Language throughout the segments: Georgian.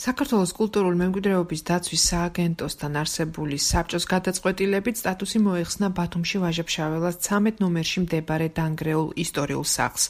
საქართველოს კულტურული მემკვიდრეობის დაცვის სააგენტოსთან არსებული საბჭოს გადაწყვეტილებით სტატუსი მოიხსნა ბათუმში ვაჟა-ფშაველას 13 ნომერში მდებარე დანგრეულ ისტორიულ სახლს.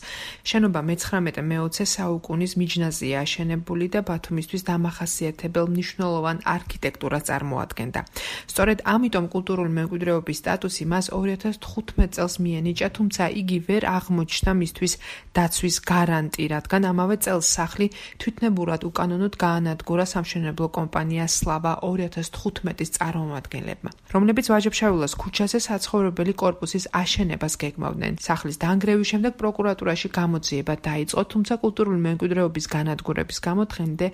შენობა მე-19-მე-20 საუკუნის მიჯნაზია აშენებული და ბათუმისთვის დამახასიათებელ მნიშვნელოვან არქიტექტურას წარმოადგენდა. სწორედ ამიტომ კულტურული მემკვიდრეობის სტატუსი მას 2015 წელს მიენიჭა, თუმცა იგი ვერ აღმოჩნდა მისთვის დაცვის გარანტი, რადგან ამავე წელს სახლი თვითნებურად უკანონოდ გაანადგურა სამშენებლო კომპანია სლავა 2015-ის წარმომადგენლებმა, რომლებიც ვაჟა-ფშაველას ქუჩაზე საცხოვრებელი კორპუსის აშენებას გეგმავდნენ. სახლის დანგრევის შემდეგ პროკურატურაში გამოძიება დაიწყო, თუმცა კულტურული მემკვიდრეობის განადგურების გამო დღემდე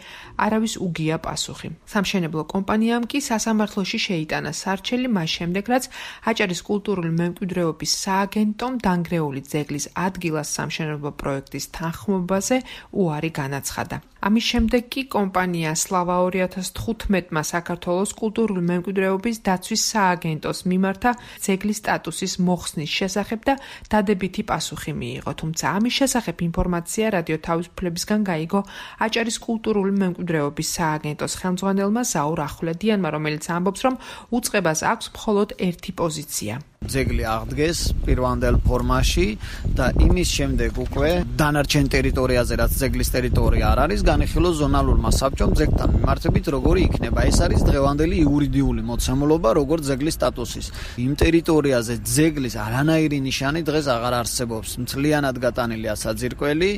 არავის უგია პასუხი. სამშენებლო კომპანიამ კი სასამართლოში შეიტანა სარჩელი მას შემდეგ, რაც აჭარის კულტურული მემკვიდრეობის სააგენტომ დანგრეული ძეგლის ადგილას სამშენებლო პროექტის თანხმობაზე უარი განაცხადა. ამის შემდეგ კი კომპანია სლავა 2015-მა საქართველოს კულტურული მემკვიდრეობის დაცვის სააგენტოს მიმართა ძეგლის სტატუსის მოხსნის შესახებ და დადებითი პასუხი მიიღო, თუმცა ამის შესახებ ინფორმაცია რადიო თავისუფლებისგან გაიგო აჭარის კულტურული მემკვიდრეობის სააგენტოს ხელმძღვანელმა ზაურ ახვლედიანმა, რომელიც ამბობს, რომ უწყებას აქვს მხოლოდ ერთი პოზიცია. ძეგლი აღდგეს პირვანდელ ფორმაში და იმის შემდეგ უკვე დანარჩენ ტერიტორიაზე, რაც ძეგლის ტერიტორია არ არის, განიხილოს ზონალურმა საბჭომ ძეგლთან მიმართებით, როგორი იქნება. ეს არის დღევანდელი იურიდიული მოცემულობა, როგორც ძეგლის სტატუსის. იმ ტერიტორიაზე ძეგლის არანაირი ნიშანი დღეს აღარ არსებობს. მთლიანად გატანილია საძირკველი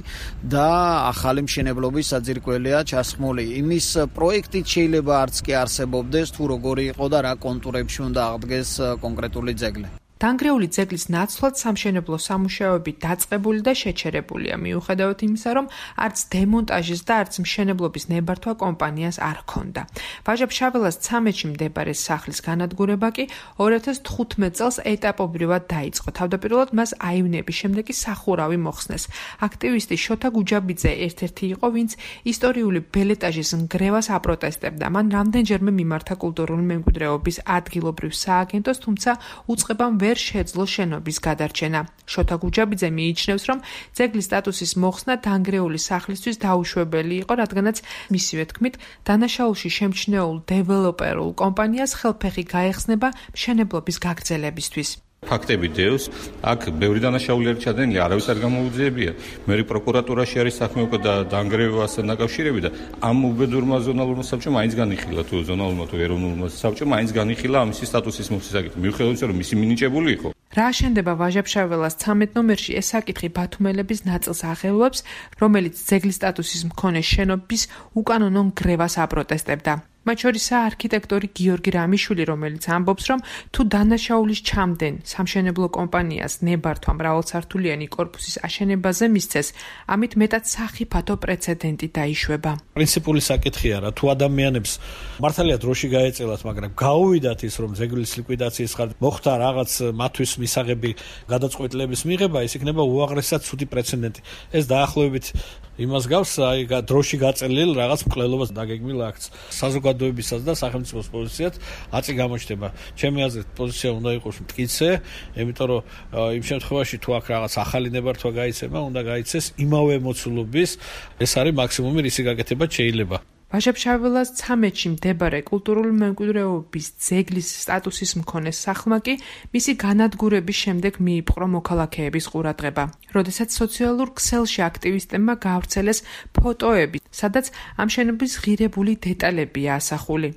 და ახალი მშენებლობის საძირკველია ჩასხმული. იმის პროექტით შეიძლება არც კი არსებობდეს, თუ როგორი იყო და რა კონტურებში უნდა აღდგეს კონკრეტული ძეგლი. დანგრეული ძეგლის ნაცვლად სამშენებლო სამუშაოები დაწყებული და შეჩერებულია, მიუხედავად იმისა, რომ არც დემონტაჟის და არც მშენებლობის ნებართვა კომპანიას არ ჰქონდა. ვაჟა-ფშაველას 13-ში მდებარე სახლის განადგურება კი 2015 წელს ეტაპობრივად დაიწყო. თავდაპირველად მას აივნების შემდეგ კი სახურავი მოხსნეს. აქტივისტი შოთა გუჯაბიძე ერთ-ერთი იყო, ვინც ისტორიული ბელეტაჟის ნგრევას აპროტესტებდა. მან რამდენჯერმე მიმართა კულტურული მემკვიდრეობის ადგილობრივ სააგენტოს, თუმცა უწყებამ ვერ შეძლო შენობის გადარჩენა. შოთა გუჯაბიძე მიიჩნევს, რომ ძეგლის სტატუსის მოხსნა დანგრეული სახლისთვის დაუშვებელი იყო, რადგანაც მისივე თქმით, დანაშაულში შემჩნეულ დეველოპერულ კომპანიას ხელფეხი გაეხსნება მშენებლობის გაგრძელებისთვის. ფაქტები დევს, აქ ბევრი დანაშაული არის ჩადენილი, არავის არ გამოუძიებია. მე პროკურატურაში არის საქმე უკვე და დანგრევასთან დაკავშირებით და ამ უბედურმა ზონალურმა საბჭომ მაინც განიხილა, თუ ზონალურმა თუ ეროვნულმა საბჭომ მაინც განიხილა ამისი სტატუსის მოხსნის საკითხი. მიუხედავად იმისა, რომ მისი მინიჭებული იყო. რა აშენდება ვაჟა-ფშაველას 13 ნომერში, ეს საკითხი ბათუმელების ნაწილს აღელვებს, რომელიც ძეგლის სტატუსის მქონე შენობის უკანონო ნგრევას აპროტესტებდა. მათ შორისაა არქიტექტორი გიორგი რამიშვილი, რომელიც ამბობს, რომ თუ დანაშაულის ჩამდენ სამშენებლო კომპანიას ნებართვა მრავალსართულიანი კორპუსის აშენებაზე მისცეს, ამით მეტად სახიფათო პრეცედენტი დაიშვება. პრინციპული საკითხია რა, თუ ადამიანებს მართალია დროში გაეწელათ, მაგრამ გაუვიდათ ის, რომ ძეგლის ლიკვიდაციის ხარჯი მოხდა რაღაც მათთვის მისაღები გადაწყვეტილების მიღება, ეს იქნება უაღრესად ცუდი პრეცედენტი. ეს დაახლოებით იმას გავს, აი დროში გაწელილ რაღაც მკვლელობას დაგეგმილ აქტს. საზოგადოებისაც და სახელმწიფოს პოზიციად აწი გამოჩნდება. ჩემი აზრით პოზიცია უნდა იყოს მტკიცე, იმიტომ რომ იმ შემთხვევაში თუ აქ რაღაც ახალი ნებართვა გაიცემა, უნდა გაიცეს იმავე მოცულობის, ეს არის მაქსიმუმი, რისი გაკეთება შეიძლება. ვაჟა-ფშაველას 13-ში მდებარე კულტურული მემკვიდრეობის ძეგლის სტატუსის მქონე სახლმა კი მისი განადგურების შემდეგ მიიპყრო მოქალაქეების ყურადღება. როდესაც სოციალურ ქსელში აქტივისტებმა გაავრცელეს ფოტოები, სადაც ამ შენობის ღირებული დეტალებია ასახული.